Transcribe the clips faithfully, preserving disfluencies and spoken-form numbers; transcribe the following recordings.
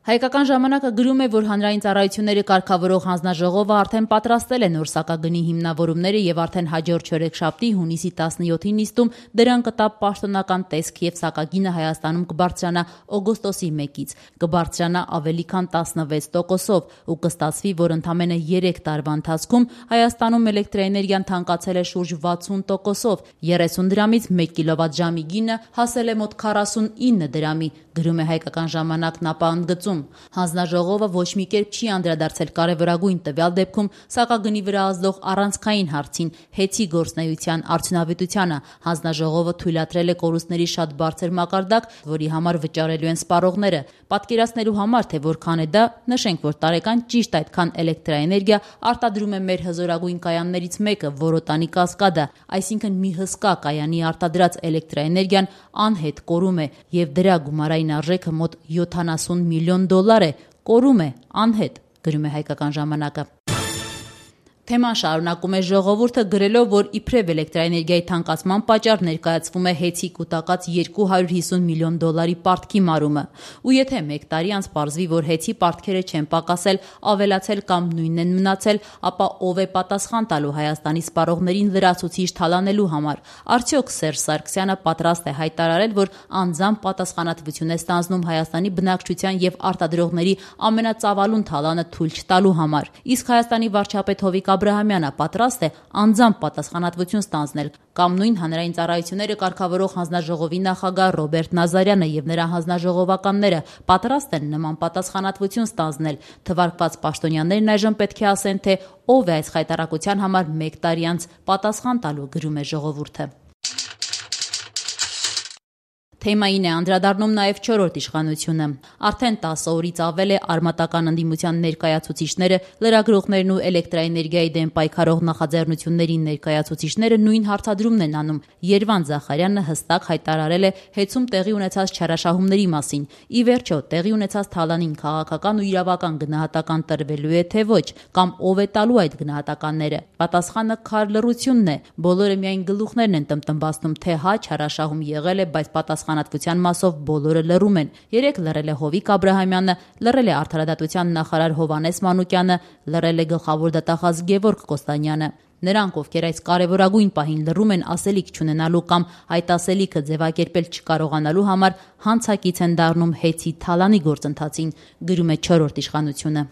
Հայկական ժամանակը գրում է, որ հանրային ծառայությունների կարգավորող հանձնաժողովը արդեն պատրաստել է նոր սակագնի հիմնավորումները եւ արդեն հաջորդ չորեքշաբթի հունիսի տասնյոթի նիստում դրան կտա պաշտոնական տեսք եւ սակագինը Հայաստանում կբարձրանա օգոստոսի մեկից, կբարձրանա ավելի քան տասնվեց տոկոսով ու կստացվի, որ ընդամենը երեք տարվա ընթացքում Հայաստանում էլեկտրաէներգիան թանկացել է շուրջ վաթսուն տոկոսով, երեսուն դրամից մեկ կիլովատժամի գինը հասել է մոտ քառասունինը դրամի, գրում է Հայկական ժամանակն, ապա ընդգծում. Հանձնաժողովը ոչ մի կերպ չի անդրադարձել կարևորագույն տվյալ դեպքում սակագնի վրա ազդող առանցքային հարցին՝ հեծի գործունեության արդյունավետությանը։ Հանձնաժողովը թույլատրել է կորուստների շատ բարձր մակարդակ, որի համար վճարելու են սպառողները։ Պատկերացնելու համար, թե որքան է դա, նշենք, որ տարեկան ճիշտ այդքան էլեկտրաէներգիա արտադրում է մեր հզորագույն կայաններից մեկը՝ Որոտանի Կասկադը, այսինքն մի հսկա կայանի արտադրած էլեկտրաէներգիան անհետ կորում է եւ դրա գումարային արժեքը մոտ յոթանասուն միլիոն դոլար է, կորում է անհետ, գրում է Հայկական ժամանակը։ Թեման շարունակում է ժողովուրդը գրելով, որ իբրև էլեկտրաէներգիայի թանկացման պատճառ ներկայացվում է հեծի կուտակած երկու հարյուր հիսուն միլիոն դոլարի պարտքի մարումը։ Ու եթե մեկ տարի անց պարզվի, որ հեծի պարտքերը չեն պակասել, ավելացել կամ նույնն են մնացել, ապա ով է պատասխան տալու Հայաստանի սպառողներին լրացուցիչ թալանելու համար։ Արդյոք Սերժ Սարգսյանը պատրաստ է հայտարարել, որ անձամբ պատասխանատվություն է ստանձնում Հայաստանի բնակչության եւ արտադրողների ամենածավալուն թալանը թույլ չտալու համար։ Իսկ Հայաստանի վարչապետ Հովիկ Աբրահամյանը պատրաստ է անձամբ պատասխանատվություն ստանձնել, կամ նույն հանրային ծառայությունները կարգավորող հանձնաժողովի նախագահ Ռոբերտ Նազարյանը եւ նրա հանձնաժողովականները պատրաստ են նման պատասխանատվություն ստանձնել։ Թվարկված պաշտոնյաներն այժմ պետք է ասեն, թե ով է այս խայտառակության համար մեկ տարի անց պատասխան տալու, գրում է ժողովուրդը։ Թեմային է անդրադառնում նաև չորրորդ իշխանությունը։ Արդեն տասը օրից ավել է արմատական ընդդիմության ներկայացուցիչները, լրագրողներն ու էլեկտրաէներգիայի դեմ պայքարող նախաձեռնությունների ներկայացուցիչները նույն հարցադրումն են անում։ Երվանդ Զախարյանը հստակ հայտարարել է հեծում տեղի ունեցած չարաշահումների մասին։ Ի վերջո, տեղի ունեցած թալանին քաղաքական ու իրավական գնահատական տրվելու է, թե ոչ, կամ ով է տալու այդ գնահատականները։ Պատասխանը քար լռությունն է։ Բոլորը միայն գլուխներն են տմտմբացնում, թե հա չարաշահում եղել է, բայց պատասխանատվության մասով բոլորը լռում են։ Երեք լռել է Հովիկ Աբրահամյանը, լռել է արդարադատության նախարար Հովհաննես Մանուկյանը, լռել է գլխավոր դատախազ Գևորգ Կոստանյանը։ Նրանք, ովքեր այս կարևորագույն պահին լռում են ասելիք չունենալու կամ այդ ասելիքը ձևակերպել չկարողանալու համար, հանցակից են դառնում հեծի թալանի գործընթացին, գրում է չորրորդ իշխանությունը։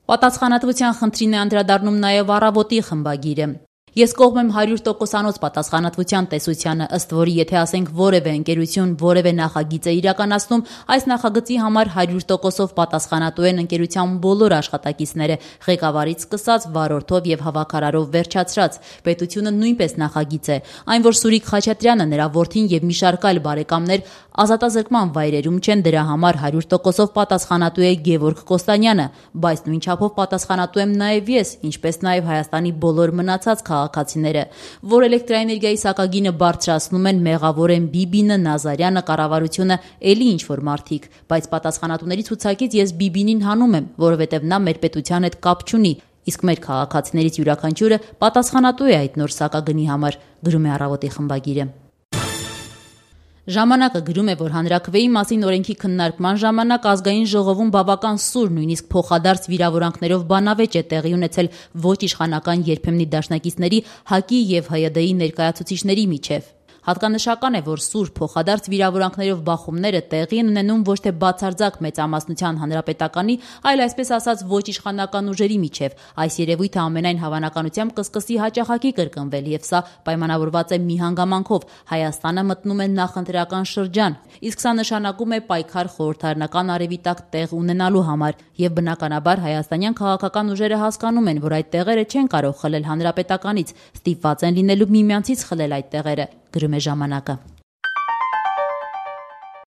Պատասխանատվության խնդրին է անդրադառնում նաև Առավոտի խմբագիրը։ Ես կողմ եմ հարյուր տոկոսանոց պատասխանատվության տեսությանը, ըստ որի եթե ասենք որևէ ընկերություն որևէ նախագիծ է իրականացնում, այս նախագծի համար հարյուր տոկոսով պատասխանատու են ընկերության բոլոր աշխատակիցները, ղեկավարից սկսած վարորդով եւ հավաքարարով վերջացրած։ Պետությունը նույնպես նախագիծ է։ Այն, որ Սուրիկ Խաչատրյանը, նրա որդին եւ մի շարք այլ բարեկամներ ազատազրկման վայրերում չեն, դրա համար հարյուր տոկոսով պատասխանատու է Գևորգ Կոստանյանը, բայց նույն չափով պատասխանատու եմ նաեւ ես, ինչպես նաեւ Հայաստանի բոլոր մնացած քաղաքացիները, որ էլեկտրաէներգիայի սակագինը բարձրացնում են, մեղավոր են Բիբինը, Նազարյանը, կառավարությունը, էլի ինչ-որ մարդիկ, բայց պատասխանատուների ցուցակից ես Բիբինին հանում եմ, որովհետև նա մեր պետության հետ կապ չունի, իսկ մեր քաղաքացիներից յուրաքանչյուրը պատասխանատու է այդ նոր սակագնի համար, գրում է Առավոտի խմբագիրը։ Ժամանակը գրում է, որ հանրաքվեի մասին օրենքի քննարկման ժամանակ ազգային ժողովում բավական սուր, նույնիսկ փոխադարձ վիրավորանքներով բանավեճ է տեղի ունեցել ոչ իշխանական երբեմնի դաշնակիցների ՀԱԿ-ի եւ ՀՅԴ-ի ներկայացուցիչների միջև։ Հատկանշական է, որ սուր փոխադարձ վիրավորանքներով բախումները տեղի են ունենում ոչ թե բացարձակ մեծամասնության հանրապետականի, այլ այսպես ասած ոչ իշխանական ուժերի միջև։ Այս երևույթը ամենայն հավանականությամբ կսկսի հաճախակի կրկնվել, եւ սա պայմանավորված է մի հանգամանքով՝ Հայաստանը մտնում է նախընտրական շրջան, իսկ սա նշանակում է պայքար խորհրդարանական արևի տակ տեղ ունենալու համար, եւ բնականաբար հայաստանյան քաղաքական ուժերը հասկանում են, որ այդ տեղերը չեն կարող խլել հանրապետականից, ստիպված են լինելու միմյանցից խլել այդ տեղերը, գրում է ժամանակը։